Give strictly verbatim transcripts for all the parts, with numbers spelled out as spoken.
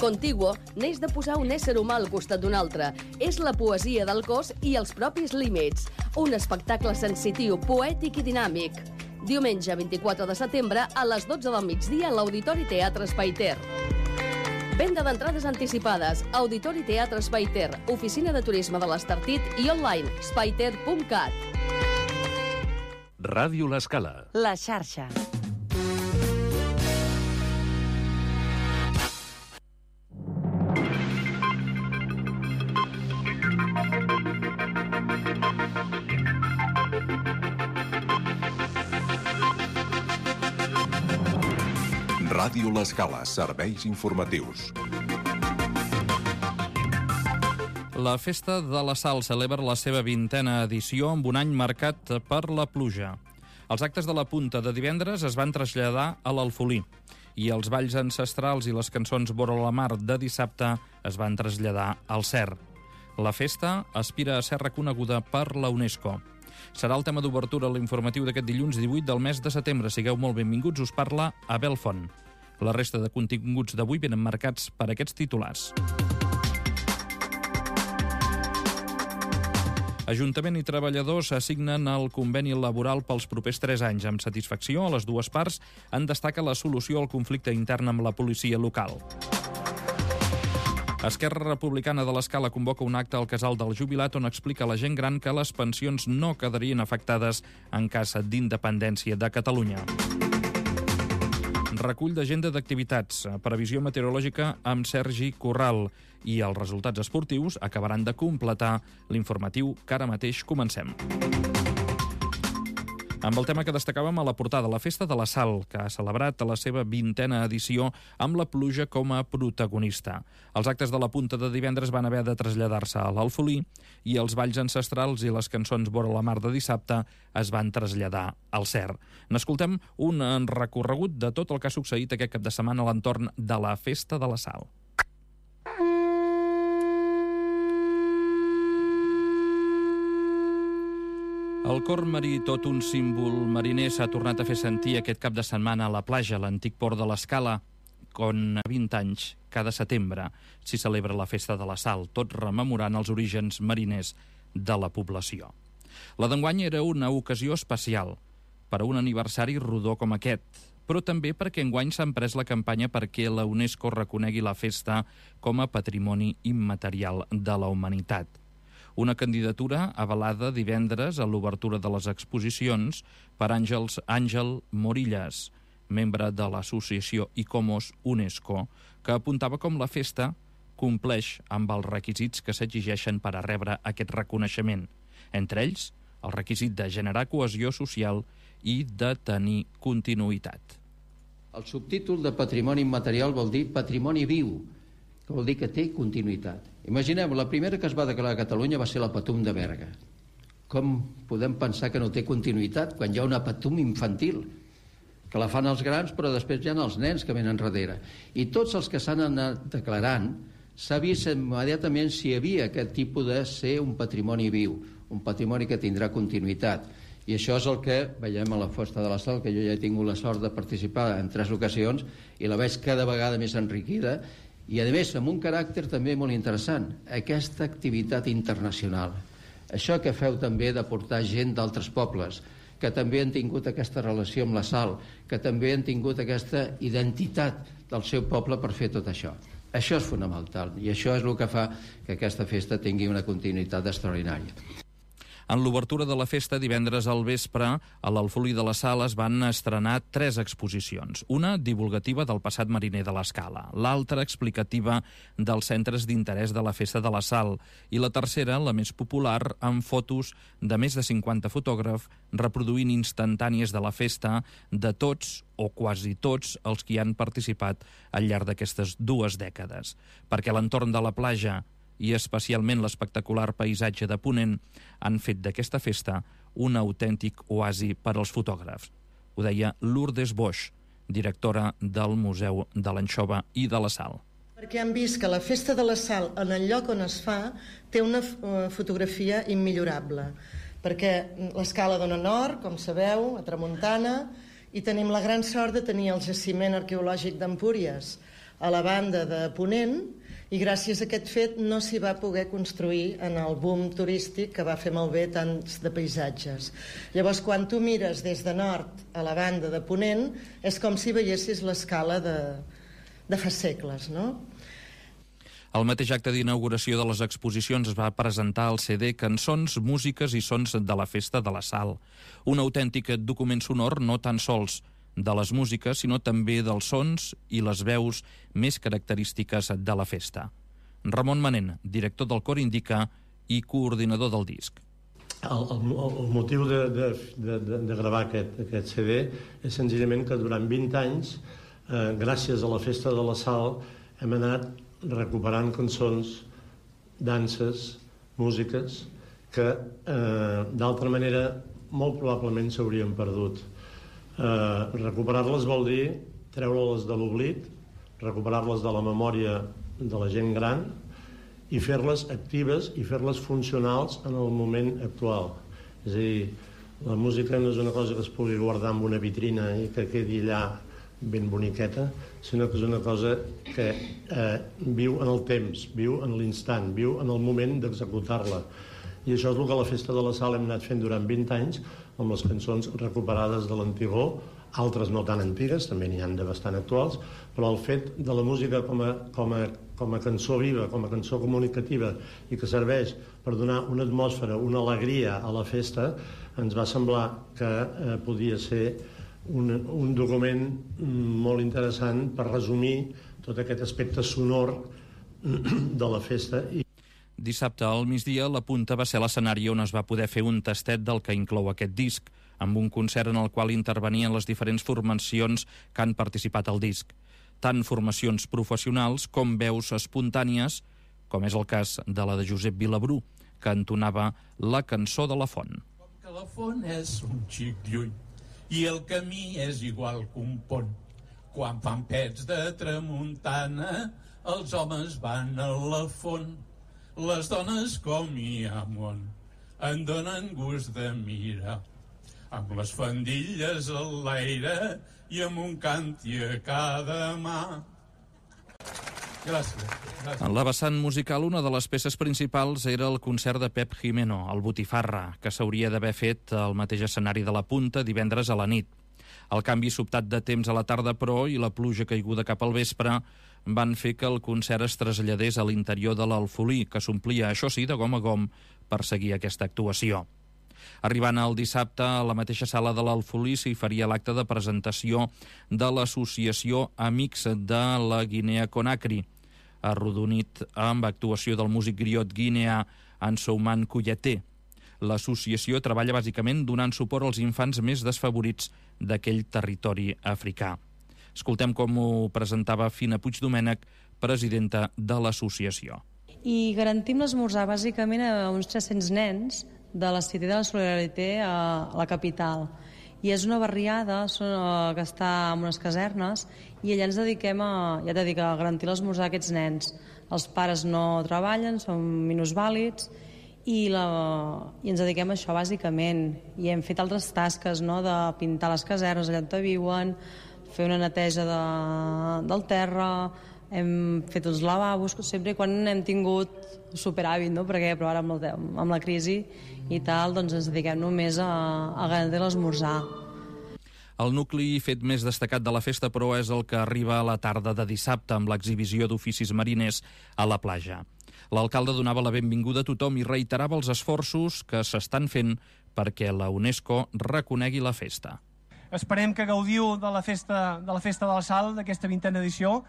Contiguo neix de posar un ésser humà al costat d'un altre. És la poesia del cos i els propis límits. Un espectacle sensitiu, poètic i dinàmic. Diumenge vint-i-quatre de setembre a les dotze del migdia a l'Auditori Teatre Espai Ter. Venda d'entrades anticipades. Auditori Teatre Espai Ter, Oficina de Turisme de l'Estartit i online espaiter punt cat. Ràdio L'Escala. La xarxa. Ràdio L'Escala, serveis informatius. La Festa de la Sal celebra la seva vintena edició amb un any marcat per la pluja. Els actes de la punta de divendres es van traslladar a l'Alfolí i els balls ancestrals i les cançons vora la mar de dissabte es van traslladar al Cer. La festa aspira a ser reconeguda per la UNESCO. Serà el tema d'obertura a l'informatiu d'aquest dilluns divuit del mes de setembre. Sigueu molt benvinguts, us parla Abel Font. La resta de continguts d'avui venen marcats per aquests titulars. Ajuntament i treballadors assignen el conveni laboral pels propers tres anys. Amb satisfacció, a les dues parts en destaca la solució al conflicte intern amb la policia local. Esquerra Republicana de l'Escala convoca un acte al Casal del Jubilat on explica a la gent gran que les pensions no quedarien afectades en cas d'independència de Catalunya. Recull d'agenda d'activitats, previsió meteorològica amb Sergi Corral i els resultats esportius acabaran de completar l'informatiu que ara mateix comencem. Amb el tema que destacàvem a la portada, la Festa de la Sal, que ha celebrat la seva vintena edició amb la pluja com a protagonista. Els actes de la punta de divendres van haver de traslladar-se a l'Alfolí i els balls ancestrals i les cançons vora la mar de dissabte es van traslladar al Cer. N'escoltem un recorregut de tot el que ha succeït aquest cap de setmana a l'entorn de la Festa de la Sal. El cor marí, tot un símbol mariner, s'ha tornat a fer sentir aquest cap de setmana a la platja, a l'antic port de l'Escala, on a vint anys, cada setembre, s'hi celebra la Festa de la Sal, tot rememorant els orígens mariners de la població. La d'enguany era una ocasió especial per a un aniversari rodó com aquest, però també perquè enguany s'ha emprès la campanya perquè la UNESCO reconegui la festa com a patrimoni immaterial de la humanitat. Una candidatura avalada divendres a l'obertura de les exposicions per Àngels Àngel Morillas, membre de l'associació ICOMOS UNESCO, que apuntava com la festa compleix amb els requisits que s'exigeixen per a rebre aquest reconeixement. Entre ells, el requisit de generar cohesió social i de tenir continuïtat. El subtítol de patrimoni immaterial vol dir patrimoni viu, que vol dir que té continuïtat. Imaginem, la primera que es va declarar a Catalunya va ser la Patum de Berga. Com podem pensar que no té continuïtat quan hi ha una Patum infantil, que la fan els grans però després hi ha els nens que venen darrere? I tots els que s'han anat declarant s'ha vist immediatament si hi havia aquest tipus de ser un patrimoni viu, un patrimoni que tindrà continuïtat. I això és el que veiem a la Festa de la Sal, que jo ja he tingut la sort de participar en tres ocasions i la veig cada vegada més enriquida i a més amb un caràcter també molt interessant, aquesta activitat internacional, això que feu també de portar gent d'altres pobles que també han tingut aquesta relació amb la sal, que també han tingut aquesta identitat del seu poble per fer tot això. Això és fonamental i això és el que fa que aquesta festa tingui una continuïtat extraordinària. En l'obertura de la festa, divendres al vespre, a l'Alfolí de la Sal es van estrenar tres exposicions. Una divulgativa del passat mariner de l'Escala, l'altra explicativa dels centres d'interès de la Festa de la Sal i la tercera, la més popular, amb fotos de més de cinquanta fotògrafs reproduint instantànies de la festa de tots o quasi tots els que hi han participat al llarg d'aquestes dues dècades. Perquè l'entorn de la platja i especialment l'espectacular paisatge de Ponent han fet d'aquesta festa un autèntic oasi per als fotògrafs. Ho deia Lourdes Boix, directora del Museu de l'Anxova i de la Sal. Perquè han vist que la Festa de la Sal, en el lloc on es fa, té una fotografia immillorable. Perquè l'Escala dona nord, com sabeu, a tramuntana, i tenim la gran sort de tenir el jaciment arqueològic d'Empúries. a la banda de Ponent, i gràcies a aquest fet no s'hi va poder construir en el boom turístic que va fer malbé tants de paisatges. Llavors, quan tu mires des de nord a la banda de Ponent, és com si veiessis l'escala de, de fa segles, no? Al mateix acte d'inauguració de les exposicions es va presentar el C D Cançons, músiques i sons de la Festa de la Sal. Un autèntic document sonor no tan sols de les músiques, sinó també dels sons i les veus més característiques de la festa. Ramon Manent, director del Cor Indica i coordinador del disc. El, el, el motiu de, de, de, de gravar aquest, aquest C D és senzillament que durant vint anys, eh, gràcies a la Festa de la Sal, hem anat recuperant cançons, danses, músiques, que eh, d'altra manera molt probablement s'haurien perdut. Uh, recuperar-les vol dir treure-les de l'oblit, recuperar-les de la memòria de la gent gran i fer-les actives i fer-les funcionals en el moment actual. És a dir, la música no és una cosa que es pugui guardar en una vitrina i que quedi allà ben boniqueta, sinó que és una cosa que eh, viu en el temps, viu en l'instant, viu en el moment d'executar-la. I això és el que a la Festa de la Sal hem anat fent durant vint anys, amb les cançons recuperades de l'antigor, altres no tan antigues, també n'hi han de bastant actuals, però el fet de la música com a, com a, com a cançó viva, com a cançó comunicativa, i que serveix per donar una atmosfera, una alegria a la festa, ens va semblar que eh, podia ser un, un document molt interessant per resumir tot aquest aspecte sonor de la festa. I Dissabte al migdia, la Punta va ser l'escenari on es va poder fer un tastet del que inclou aquest disc, amb un concert en el qual intervenien les diferents formacions que han participat al disc. Tant formacions professionals com veus espontànies, com és el cas de la de Josep Vilabrú, que entonava la cançó de la Font. Com que la Font és un xic lluny i el camí és igual que un pont, quan fan pets de tramuntana, els homes van a la Font. Les dones com hi ha món en donen gust de mirar, amb les fandilles a l'aire i amb un canti a cada mà. Gràcies. Gràcies. En la vessant musical, una de les peces principals era el concert de Pep Jimeno, el Botifarra, que s'hauria d'haver fet al mateix escenari de la Punta divendres a la nit. El canvi sobtat de temps a la tarda, però, i la pluja caiguda cap al vespre van fer que el concert es traslladés a l'interior de l'Alfolí, que s'omplia, això sí, de gom a gom per seguir aquesta actuació. Arribant el dissabte, a la mateixa sala de l'Alfolí s'hi faria l'acte de presentació de l'associació Amics de la Guinea Conakry, arrodonit amb actuació del músic griot guineà Ansouman Kouyaté. L'associació treballa bàsicament donant suport als infants més desfavorits d'aquell territori africà. Escoltem com ho presentava Fina Puigdomènech, presidenta de l'associació. I garantim l'esmorzar bàsicament a uns tres-cents nens de la Cité de la Solidarité a la capital. I és una barriada que està en unes casernes i allà ens dediquem a, ja t'he dit, a garantir l'esmorzar a aquests nens. Els pares no treballen, són minusvàlids i, la, i ens dediquem a això bàsicament. I hem fet altres tasques, no?, de pintar les casernes allà on viuen, fer una neteja de, del terra, hem fet uns lavabos, sempre quan hem tingut superàvit, no? Perquè però ara amb, el, amb la crisi i tal, doncs ens dediquem només a, a garantir l'esmorzar. El nucli fet més destacat de la festa, però, és el que arriba a la tarda de dissabte amb l'exhibició d'oficis mariners a la platja. L'alcalde donava la benvinguda a tothom i reiterava els esforços que s'estan fent perquè la UNESCO reconegui la festa. Esperem que gaudiu de la festa de la festa de la Sal, d'aquesta vintena edició.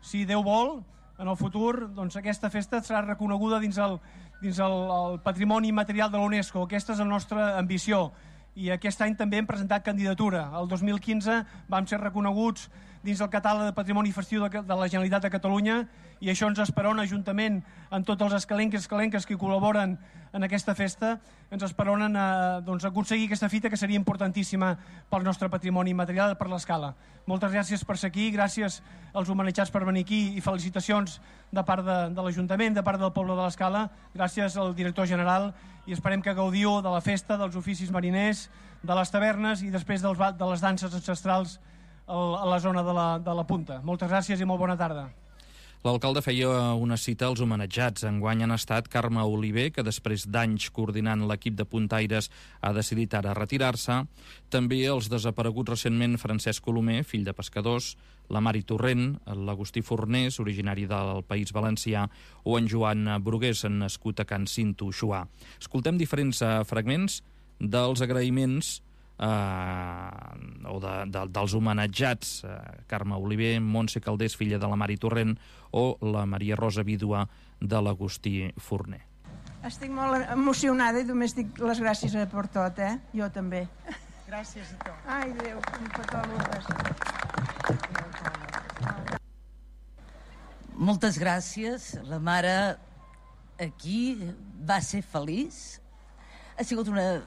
Si Déu vol, en el futur, doncs aquesta festa serà reconeguda dins el, dins el, el patrimoni immaterial de la UNESCO. Aquesta és la nostra ambició. I aquest any també hem presentat candidatura. El dos mil quinze vam ser reconeguts dins el catàleg de patrimoni festiu de la Generalitat de Catalunya i això ens esperona, juntament amb tots els escalenques i escalenques que col·laboren en aquesta festa, ens esperonen a doncs, aconseguir aquesta fita que seria importantíssima pel nostre patrimoni immaterial, per l'Escala. Moltes gràcies per ser aquí, gràcies als homenatjats per venir aquí i felicitacions de part de, de l'Ajuntament, de part del poble de l'Escala, gràcies al director general i esperem que gaudiu de la festa, dels oficis mariners, de les tavernes i després dels, de les danses ancestrals a la zona de la, de la punta. Moltes gràcies i molt bona tarda. L'alcalde feia una cita als homenatjats. Enguany han estat Carme Oliver, que després d'anys coordinant l'equip de puntaires ha decidit ara retirar-se. També els desapareguts recentment Francesc Colomer, fill de pescadors, la Mari Torrent, l'Agustí Fornés, originari del País Valencià, o en Joan Brugués, nascut a Can Cinto, Xuà. Escoltem diferents fragments dels agraïments eh, o de, de, dels homenatjats, eh, Carme Oliver, Montse Caldés, filla de la Mari Torrent, o la Maria Rosa, vídua de l'Agustí Forner. Estic molt emocionada i només dic les gràcies per tot, eh? Jo també. Gràcies a tu. Ai, Déu, un petó a Lourdes. Moltes gràcies. La mare aquí va ser feliç. Ha sigut una,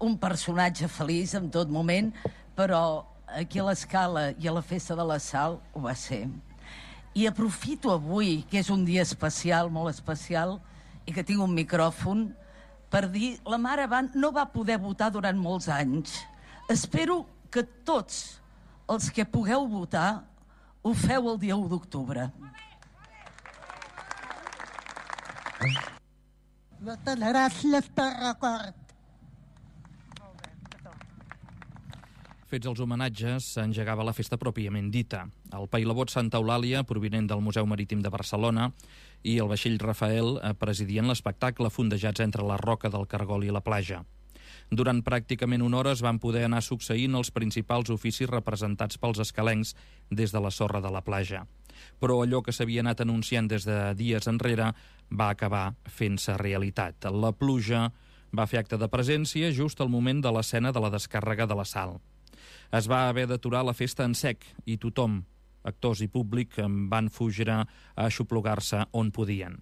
un personatge feliç en tot moment, però aquí a l'Escala i a la Festa de la Sal ho va ser. I aprofito avui, que és un dia especial, molt especial, i que tinc un micròfon, per dir, la mare va, no va poder votar durant molts anys. Espero que tots els que pugueu votar ho feu el dia u d'octubre. Moltes gràcies per record. Fets els homenatges, s'engegava la festa pròpiament dita. El pailabot Santa Eulàlia, provinent del Museu Marítim de Barcelona, i el vaixell Rafael presidien l'espectacle fondejats entre la roca del Cargol i la platja. Durant pràcticament una hora es van poder anar succeint els principals oficis representats pels escalencs des de la sorra de la platja. Però allò que s'havia anat anunciant des de dies enrere va acabar fent-se realitat. La pluja va fer acte de presència just al moment de l'escena de la descàrrega de la Sal. Es va haver d'aturar la festa en sec i tothom, actors i públic, van fugir a aixoplugar-se on podien.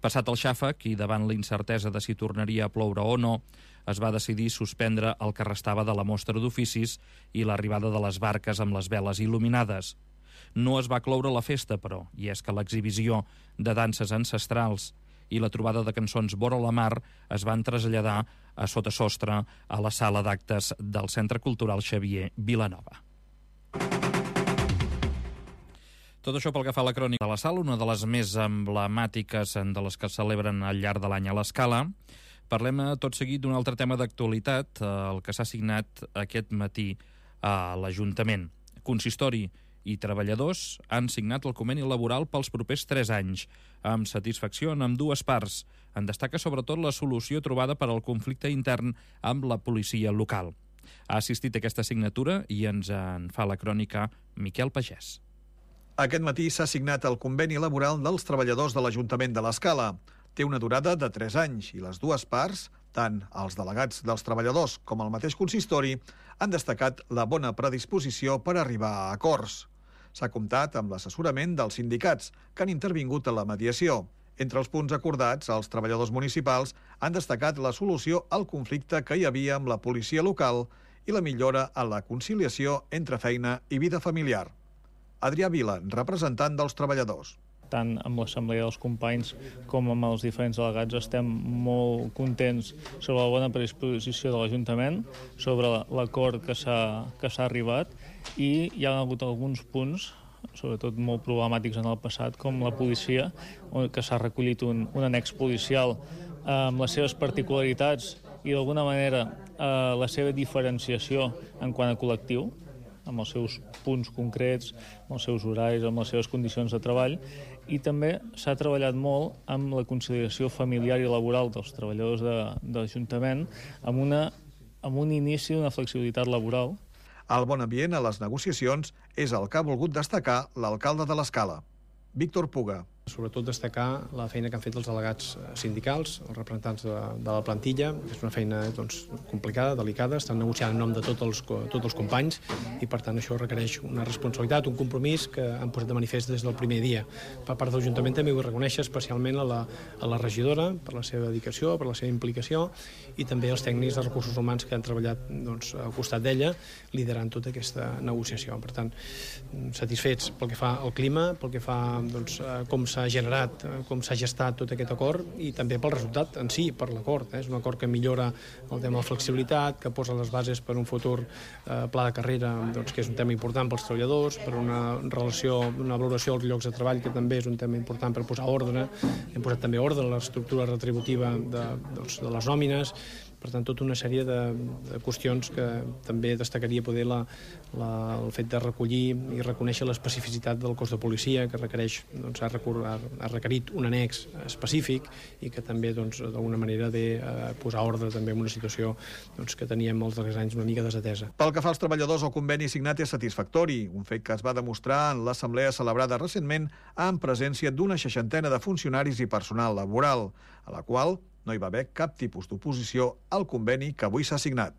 Passat el xàfec i davant la incertesa de si tornaria a ploure o no, es va decidir suspendre el que restava de la mostra d'oficis i l'arribada de les barques amb les veles il·luminades. No es va cloure la festa, però, i és que l'exhibició de danses ancestrals i la trobada de cançons vora la mar es van traslladar a sota sostre a la sala d'actes del Centre Cultural Xavier Vilanova. Tot això pel que fa a la crònica de la Sal, una de les més emblemàtiques de les que es celebren al llarg de l'any a l'Escala. Parlem tot seguit d'un altre tema d'actualitat, el que s'ha signat aquest matí a l'Ajuntament. Consistori i treballadors han signat el conveni laboral pels propers tres anys, amb satisfacció en ambdues parts. En destaca sobretot la solució trobada per al conflicte intern amb la policia local. Ha assistit a aquesta signatura i ens en fa la crònica Miquel Pagès. Aquest matí s'ha signat el conveni laboral dels treballadors de l'Ajuntament de l'Escala. Té una durada de tres anys i les dues parts, tant els delegats dels treballadors com el mateix consistori, han destacat la bona predisposició per arribar a acords. S'ha comptat amb l'assessorament dels sindicats, que han intervingut a la mediació. Entre els punts acordats, els treballadors municipals han destacat la solució al conflicte que hi havia amb la policia local i la millora en la conciliació entre feina i vida familiar. Adrià Vila, representant dels treballadors. Tant amb l'assemblea dels companys com amb els diferents delegats estem molt contents sobre la bona predisposició de l'Ajuntament, sobre l'acord que s'ha que s'ha arribat, i hi ha hagut alguns punts, sobretot molt problemàtics en el passat, com la policia, que s'ha recollit un, un annex policial amb les seves particularitats i d'alguna manera eh, la seva diferenciació en quant a col·lectiu, amb els seus punts concrets, amb els seus horaris, amb les seves condicions de treball, i també s'ha treballat molt amb la conciliació familiar i laboral dels treballadors de, de l'Ajuntament, amb, una, amb un inici d'una flexibilitat laboral. El bon ambient a les negociacions és el que ha volgut destacar l'alcalde de l'Escala, Víctor Puga. Sobretot destacar la feina que han fet els delegats sindicals, els representants de, de la plantilla. És una feina doncs, complicada, delicada, estan negociant en nom de tots els, tots els companys i per tant això requereix una responsabilitat, un compromís que han posat de manifest des del primer dia. Per part de l'Ajuntament també vull reconèixer especialment a la, a la regidora per la seva dedicació, per la seva implicació, i també als tècnics de recursos humans que han treballat doncs, al costat d'ella liderant tota aquesta negociació. Per tant, satisfets pel que fa al clima, pel que fa doncs, a com s'ha s'ha generat, com s'ha gestat tot aquest acord i també pel resultat en si, per l'acord. És un acord que millora el tema de flexibilitat, que posa les bases per un futur pla de carrera, doncs, que és un tema important pels treballadors, per una relació, una valoració dels llocs de treball, que també és un tema important per posar ordre. Hem posat també ordre a l'estructura retributiva de, doncs, de les nòmines. Per tant, tota una sèrie de, de qüestions que també destacaria poder la, la, el fet de recollir i reconèixer l'especificitat del cos de policia, que requereix, doncs, ha, recur, ha, ha requerit un annex específic i que també, doncs, d'alguna manera ve a posar ordre també en una situació, doncs, que teníem els darrers anys una mica desatesa. Pel que fa als treballadors, el conveni signat és satisfactori, un fet que es va demostrar en l'assemblea celebrada recentment en presència d'una seixantena de funcionaris i personal laboral, a la qual no hi va haver cap tipus d'oposició al conveni que avui s'ha signat.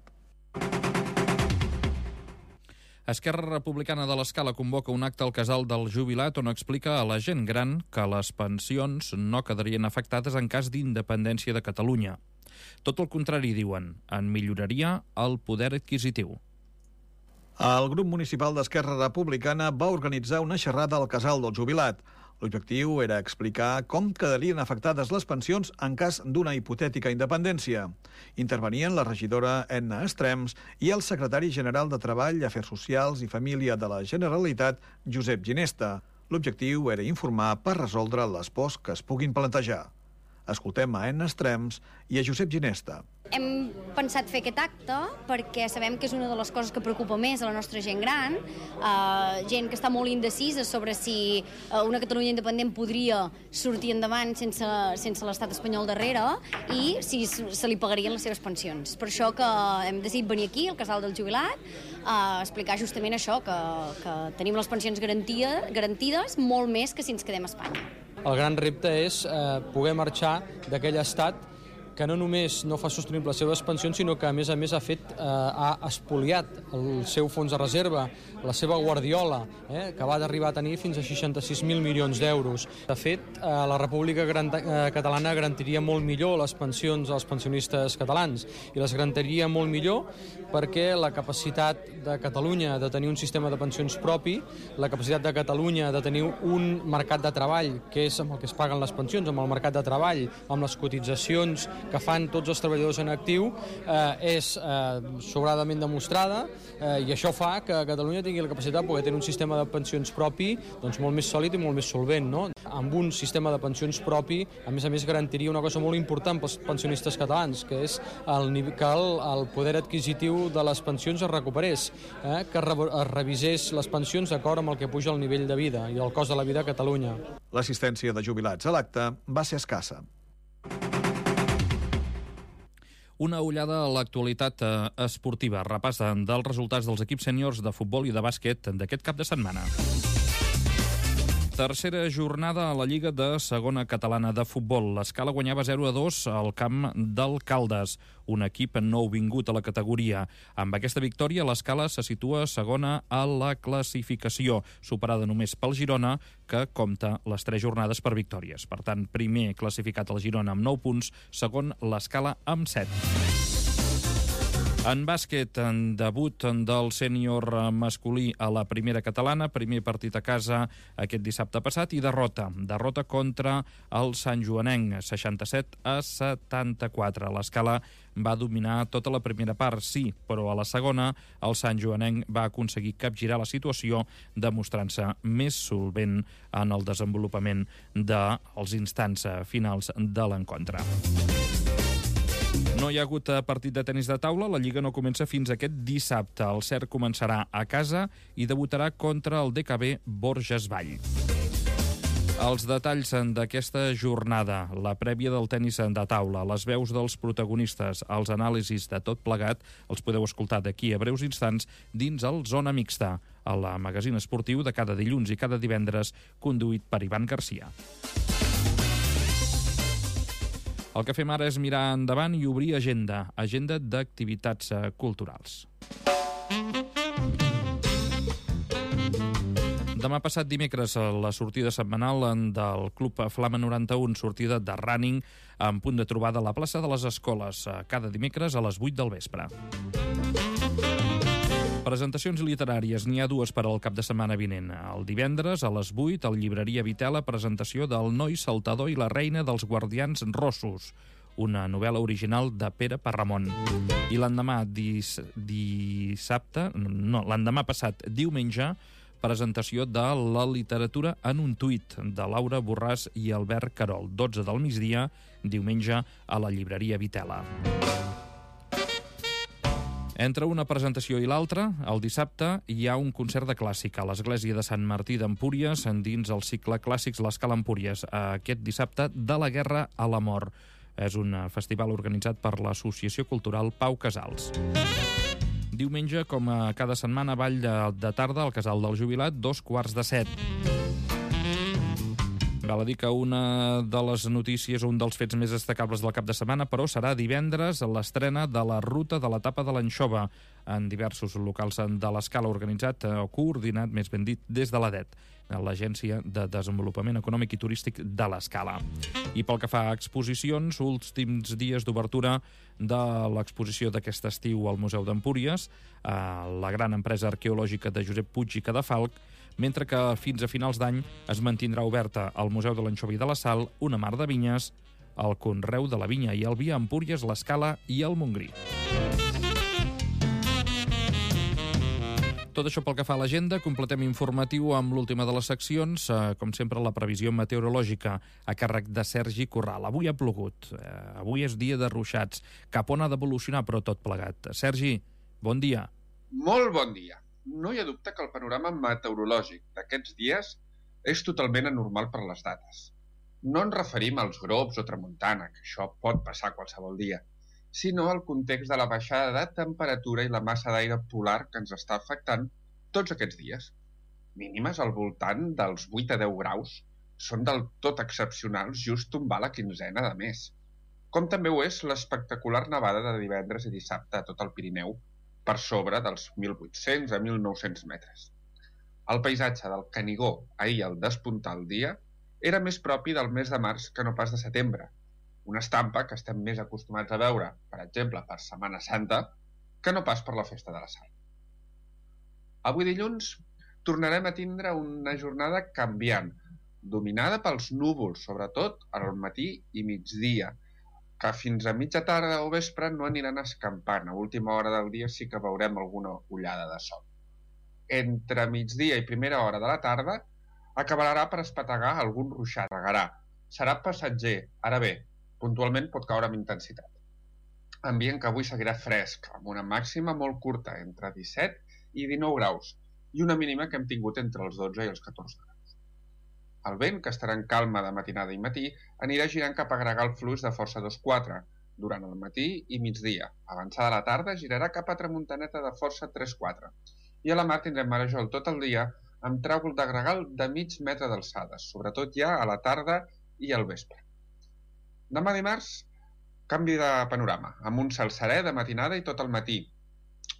Esquerra Republicana de l'Escala convoca un acte al casal del jubilat on explica a la gent gran que les pensions no quedarien afectades en cas d'independència de Catalunya. Tot el contrari, diuen, en milloraria el poder adquisitiu. El grup municipal d'Esquerra Republicana va organitzar una xerrada al casal del jubilat. L'objectiu era explicar com quedarien afectades les pensions en cas d'una hipotètica independència. Intervenien la regidora Edna Estrems i el secretari general de Treball, Afers Socials i Família de la Generalitat, Josep Ginesta. L'objectiu era informar per resoldre les pors que es puguin plantejar. Escoltem a Edna Estrems i a Josep Ginesta. Hem pensat fer aquest acte perquè sabem que és una de les coses que preocupa més a la nostra gent gran, eh, gent que està molt indecisa sobre si eh, una Catalunya independent podria sortir endavant sense, sense l'estat espanyol darrere i si se li pagarien les seves pensions. Per això que hem decidit venir aquí, al casal del jubilat, a explicar justament això, que, que tenim les pensions garantia, garantides molt més que si ens quedem a Espanya. El gran repte és eh, poder marxar d'aquell estat que no només no fa sostenible les seves pensions, sinó que, a més a més, ha fet, eh, ha espoliat el seu fons de reserva, la seva guardiola, eh, que va d'arribar a tenir fins a seixanta-sis mil milions d'euros. De fet, eh, la República Catalana garantiria molt millor les pensions als pensionistes catalans, i les garantiria molt millor perquè la capacitat de Catalunya de tenir un sistema de pensions propi, la capacitat de Catalunya de tenir un mercat de treball, que és amb el que es paguen les pensions, amb el mercat de treball, amb les cotitzacions que fan tots els treballadors en actiu, eh, és eh, sobradament demostrada, eh, i això fa que Catalunya tingui la capacitat de poder tenir un sistema de pensions propi, doncs, molt més sòlid i molt més solvent, no? Amb un sistema de pensions propi, a més a més, garantiria una cosa molt important pels pensionistes catalans, que és el, que el, el poder adquisitiu de les pensions es recuperés, eh, que re, es revisés les pensions d'acord amb el que puja el nivell de vida i el cost de la vida a Catalunya. L'assistència de jubilats a l'acte va ser escassa. Una ullada a l'actualitat esportiva, repàs dels resultats dels equips sèniors de futbol i de bàsquet d'aquest cap de setmana. Tercera jornada a la Lliga de Segona Catalana de Futbol. L'Escala guanyava zero a dos al camp del Caldes, un equip nouvingut a la categoria. Amb aquesta victòria, l'Escala se situa segona a la classificació, superada només pel Girona, que compta les tres jornades per victòries. Per tant, primer classificat el Girona amb nou punts, segon l'Escala amb set. En bàsquet, en debut del sènior masculí a la primera catalana, primer partit a casa aquest dissabte passat i derrota. Derrota contra el Sant Joanenc, seixanta-set a setanta-quatre. L'Escala va dominar tota la primera part, sí, però a la segona el Sant Joanenc va aconseguir capgirar la situació, demostrant-se més solvent en el desenvolupament dels instants finals de l'encontre. No hi ha hagut partit de tenis de taula, la Lliga no comença fins aquest dissabte. El Cert començarà a casa i debutarà contra el D K B Borges Vall. Els detalls d'aquesta jornada, la prèvia del tenis de taula, les veus dels protagonistes, els anàlisis de tot plegat, els podeu escoltar d'aquí a breus instants dins el Zona Mixta, el magazín esportiu de cada dilluns i cada divendres, conduït per Ivan Garcia. El que fem ara és mirar endavant i obrir agenda, agenda d'activitats culturals. Demà passat dimecres, la sortida setmanal del Club Flama noranta-u, sortida de running, en punt de trobada a la plaça de les Escoles, cada dimecres a les vuit del vespre. Presentacions literàries, n'hi ha dues per al cap de setmana vinent. El divendres, a les vuit, al Llibreria Vitela, presentació del Noi Saltador i la Reina dels Guardians Rossos, una novel·la original de Pere Parramon. I l'endemà dis, dissabte, no, l'endemà passat, diumenge, presentació de La literatura en un tuit, de Laura Borràs i Albert Carol, dotze del migdia, diumenge, a la Llibreria Vitela. Entre una presentació i l'altra, el dissabte hi ha un concert de clàssica a l'Església de Sant Martí d'Empúries dins el cicle Clàssics l'Escala Empúries, aquest dissabte de la guerra a la mort. És un festival organitzat per l'Associació Cultural Pau Casals. Diumenge, com a cada setmana, ball de, de tarda al Casal del Jubilat, dos quarts de set. Val a dir que una de les notícies, un dels fets més destacables del cap de setmana, però serà divendres l'estrena de la ruta de l'etapa de l'Anxova en diversos locals de l'Escala, organitzat o coordinat, més ben dit, des de l'A D E T, l'Agència de Desenvolupament Econòmic i Turístic de l'Escala. I pel que fa a exposicions, últims dies d'obertura de l'exposició d'aquest estiu al Museu d'Empúries, la gran empresa arqueològica de Josep Puig i Cadafalch, mentre que fins a finals d'any es mantindrà oberta al Museu de l'Anxova i de la Sal, una mar de vinyes, el Conreu de la Vinya i el Vi a Empúries, l'Escala i el Montgrí. Tot això pel que fa a l'agenda, completem informatiu amb l'última de les seccions, eh, com sempre la previsió meteorològica a càrrec de Sergi Corral. Avui ha plogut, eh, avui és dia de ruixats, cap on ha d'evolucionar però tot plegat. Sergi, bon dia. Molt bon dia. No hi ha dubte que el panorama meteorològic d'aquests dies és totalment anormal per les dates. No ens referim als globs o tramuntana, que això pot passar qualsevol dia, sinó al context de la baixada de temperatura i la massa d'aire polar que ens està afectant tots aquests dies. Mínimes al voltant dels vuit a deu graus són del tot excepcionals just tombar la quinzena de mes. Com també ho és l'espectacular nevada de divendres i dissabte a tot el Pirineu, per sobre dels mil vuit-cents a mil nou-cents metres. El paisatge del Canigó ahir al despuntar el dia era més propi del mes de març que no pas de setembre, una estampa que estem més acostumats a veure, per exemple, per Setmana Santa, que no pas per la Festa de la Sal. Avui dilluns tornarem a tindre una jornada canviant, dominada pels núvols, sobretot al matí i migdia, que fins a mitja tarda o vespre no aniran escampant. A última hora del dia sí que veurem alguna ullada de sol. Entre migdia i primera hora de la tarda acabarà per espetegar algun ruixat. Serà passatger, ara bé, puntualment pot caure amb intensitat. Ambient que avui seguirà fresc, amb una màxima molt curta, entre disset i dinou graus, i una mínima que hem tingut entre els dotze i els catorze graus. El vent, que estarà en calma de matinada i matí, anirà girant cap a Gregal fluix de força dos quatre durant el matí i migdia. Avançada la tarda girarà cap a tramuntaneta de força tres quatre. I a la mar tindrem marejol tot el dia amb tràgol de gregal de mig metre d'alçada, sobretot ja a la tarda i al vespre. Demà dimarts, canvi de panorama, amb un cel serè de matinada i tot el matí.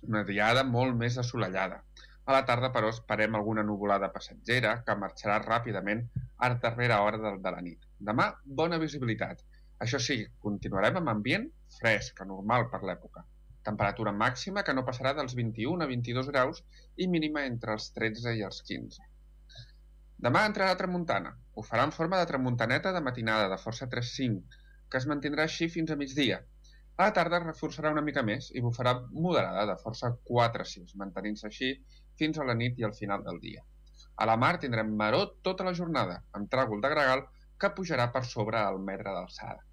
Una diada molt més assolellada. A la tarda, però, esperem alguna nuvolada passatgera que marxarà ràpidament a darrera hora de, de la nit. Demà, bona visibilitat. Això sí, continuarem amb ambient fresc, anormal per l'època. Temperatura màxima que no passarà dels vint-i-un a vint-i-dos graus i mínima entre els tretze i els quinze. Demà entrarà tramuntana. Ho farà en forma de tramuntaneta de matinada de força tres cinc, que es mantindrà així fins a migdia. A la tarda reforçarà una mica més i bufarà moderada de força quatre sis, mantenint-se així fins a la nit i al final del dia. A la mar tindrem maror tota la jornada, amb tràgol de gregal que pujarà per sobre el metre d'alçada.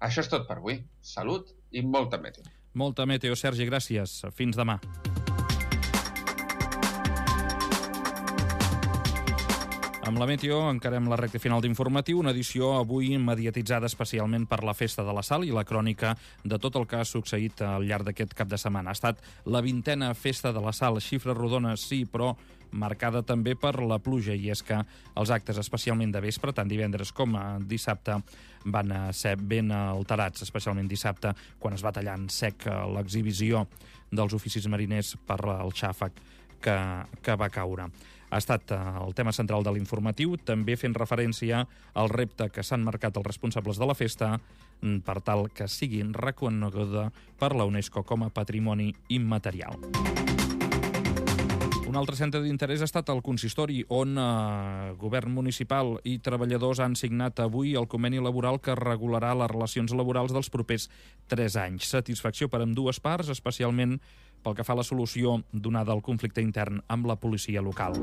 Això és tot per avui. Salut i molta meteo. Molta meteo, Sergi, gràcies. Fins demà. Amb la Meteo encarem la recta final d'informatiu, una edició avui mediatitzada especialment per la Festa de la Sal i la crònica de tot el que ha succeït al llarg d'aquest cap de setmana. Ha estat la vintena Festa de la Sal, xifres rodones sí, però marcada també per la pluja, i és que els actes, especialment de vespre, tant divendres com dissabte, van ser ben alterats, especialment dissabte, quan es va tallar en sec l'exhibició dels oficis mariners per el xàfec que, que va caure. Ha estat el tema central de l'informatiu, també fent referència al repte que s'han marcat els responsables de la festa per tal que siguin reconeguda per la UNESCO com a patrimoni immaterial. Un altre centre d'interès ha estat el consistori, on eh, govern municipal i treballadors han signat avui el conveni laboral que regularà les relacions laborals dels propers tres anys. Satisfacció per ambdues parts, especialment pel que fa a la solució donada al conflicte intern amb la policia local.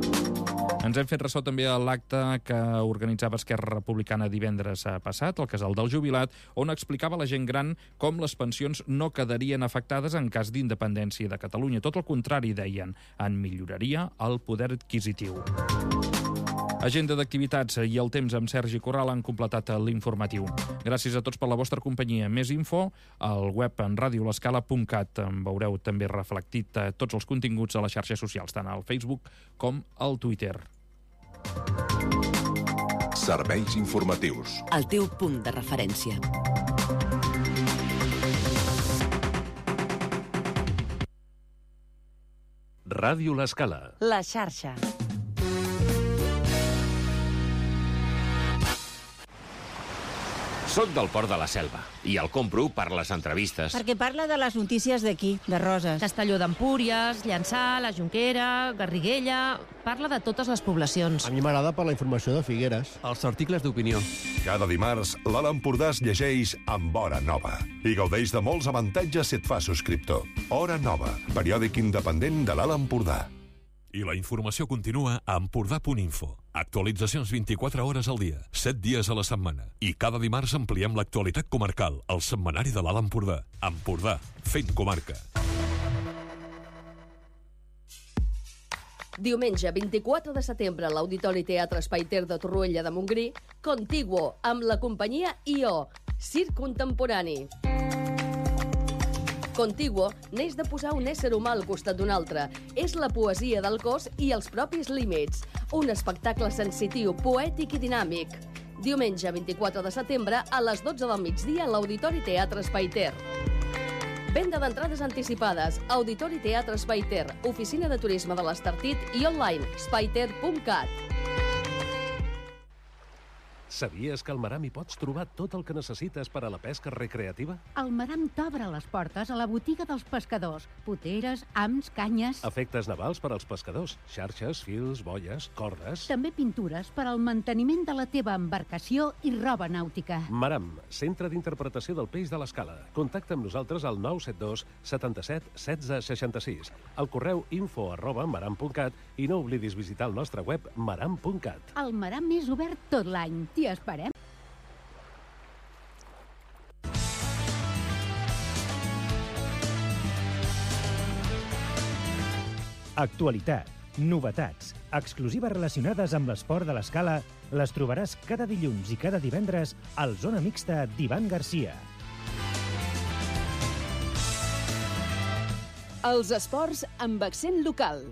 Ens hem fet ressò també a l'acte que organitzava Esquerra Republicana divendres passat, al Casal del Jubilat, on explicava a la gent gran com les pensions no quedarien afectades en cas d'independència de Catalunya. Tot el contrari, deien, en milloraria el poder adquisitiu. Agenda d'activitats i el temps amb Sergi Corral han completat l'informatiu. Gràcies a tots per la vostra companyia. Més info al web en radio l'escala punt cat. En veureu també reflectit tots els continguts a les xarxes socials, tant al Facebook com al Twitter. Serveis informatius. El teu punt de referència. Ràdio L'Escala. La xarxa. Soc del Port de la Selva i el compro per les entrevistes. Perquè parla de les notícies d'aquí, de Roses. Castelló d'Empúries, Llançà, la Jonquera, Garriguella... Parla de totes les poblacions. A mi m'agrada per la informació de Figueres. Els articles d'opinió. Cada dimarts, l'Alt Empordà es llegeix amb Hora Nova i gaudeix de molts avantatges si et fa subscriptor. Hora Nova, periòdic independent de l'Alt Empordà. I la informació continua a empordà punt info. Actualitzacions vint-i-quatre hores al dia, set dies a la setmana. I cada dimarts ampliem l'actualitat comarcal, al setmanari de l'Alt Empordà. Empordà, fent comarca. Diumenge vint-i-quatre de setembre a l'Auditori Teatre Espai Ter de Torroella de Montgrí, Contiguo, amb la companyia I O, Circ Contemporani. Contiguo neix de posar un ésser humà al costat d'un altre. És la poesia del cos i els propis límits. Un espectacle sensitiu, poètic i dinàmic. Diumenge vint-i-quatre de setembre a les dotze del migdia a l'Auditori Teatre Espai Ter. Venda d'entrades anticipades. Auditori Teatre Espai Ter, oficina de turisme de l'Estartit i online spaiter punt cat. Sabies que al Maram hi pots trobar tot el que necessites per a la pesca recreativa? El Maram t'obre les portes a la botiga dels pescadors. Poteres, hams, canyes... Efectes navals per als pescadors. Xarxes, fils, boies, cordes... També pintures per al manteniment de la teva embarcació i roba nàutica. Maram, centre d'interpretació del peix de l'Escala. Contacta amb nosaltres al nou set dos setanta-set setze seixanta-sis. Al correu info arroba maram punt cat i no oblidis visitar el nostre web maram punt cat. El Maram és obert tot l'any. T'hi esperem. Actualitat, novetats, exclusives relacionades amb l'esport de l'Escala les trobaràs cada dilluns i cada divendres al Zona Mixta d'Ivan Garcia. Els esports amb accent local.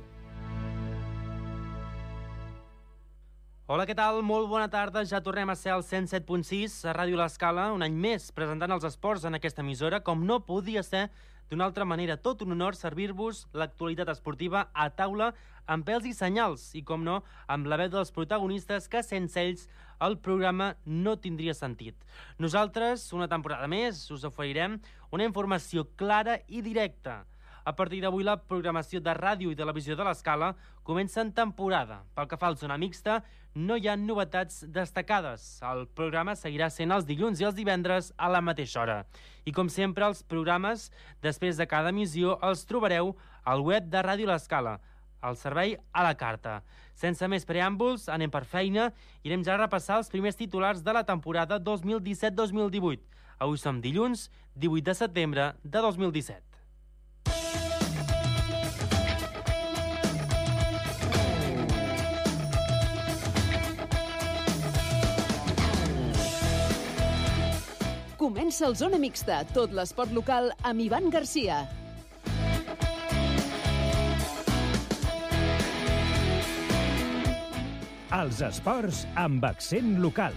Hola, què tal? Molt bona tarda. Ja tornem a ser al cent set punt sis a Ràdio L'Escala, un any més presentant els esports en aquesta emissora, com no podia ser d'una altra manera. Tot un honor servir-vos l'actualitat esportiva a taula amb pèls i senyals i, com no, amb la veu dels protagonistes que sense ells el programa no tindria sentit. Nosaltres, una temporada més, us oferirem una informació clara i directa. A partir d'avui, la programació de ràdio i televisió de l'Escala comença en temporada. Pel que fa al Zona Mixta, no hi ha novetats destacades. El programa seguirà sent els dilluns i els divendres a la mateixa hora. I com sempre, els programes, després de cada emissió, els trobareu al web de Ràdio L'Escala, al servei a la carta. Sense més preàmbuls, anem per feina i anem ja a repassar els primers titulars de la temporada dos mil disset dos mil divuit. Avui som dilluns, divuit de setembre de dos mil disset. Comença el Zona Mixta, tot l'esport local amb Ivan Garcia. Els esports amb accent local.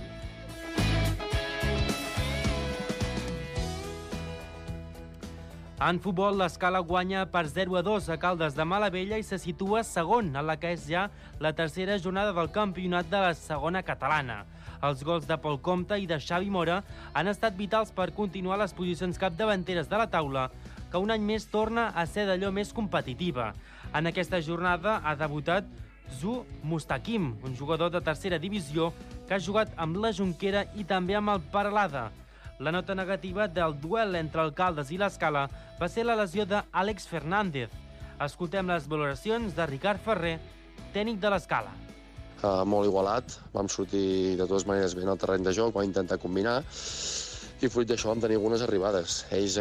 En futbol, l'Escala guanya per zero a dos a Caldes de Malavella i se situa segon en la que és ja la tercera jornada del campionat de la segona catalana. Els gols de Pol Comte i de Xavi Mora han estat vitals per continuar les posicions capdavanteres de la taula, que un any més torna a ser d'allò més competitiva. En aquesta jornada ha debutat Zu Mustakim, un jugador de tercera divisió que ha jugat amb la Jonquera i també amb el Peralada. La nota negativa del duel entre el Caldes i l'Escala va ser la lesió d'Àlex Fernández. Escoltem les valoracions de Ricard Ferrer, tècnic de l'Escala. Uh, molt igualat, vam sortir de totes maneres bé en el terreny de joc, vam intentar combinar i fruit d'això vam tenir algunes arribades. Ells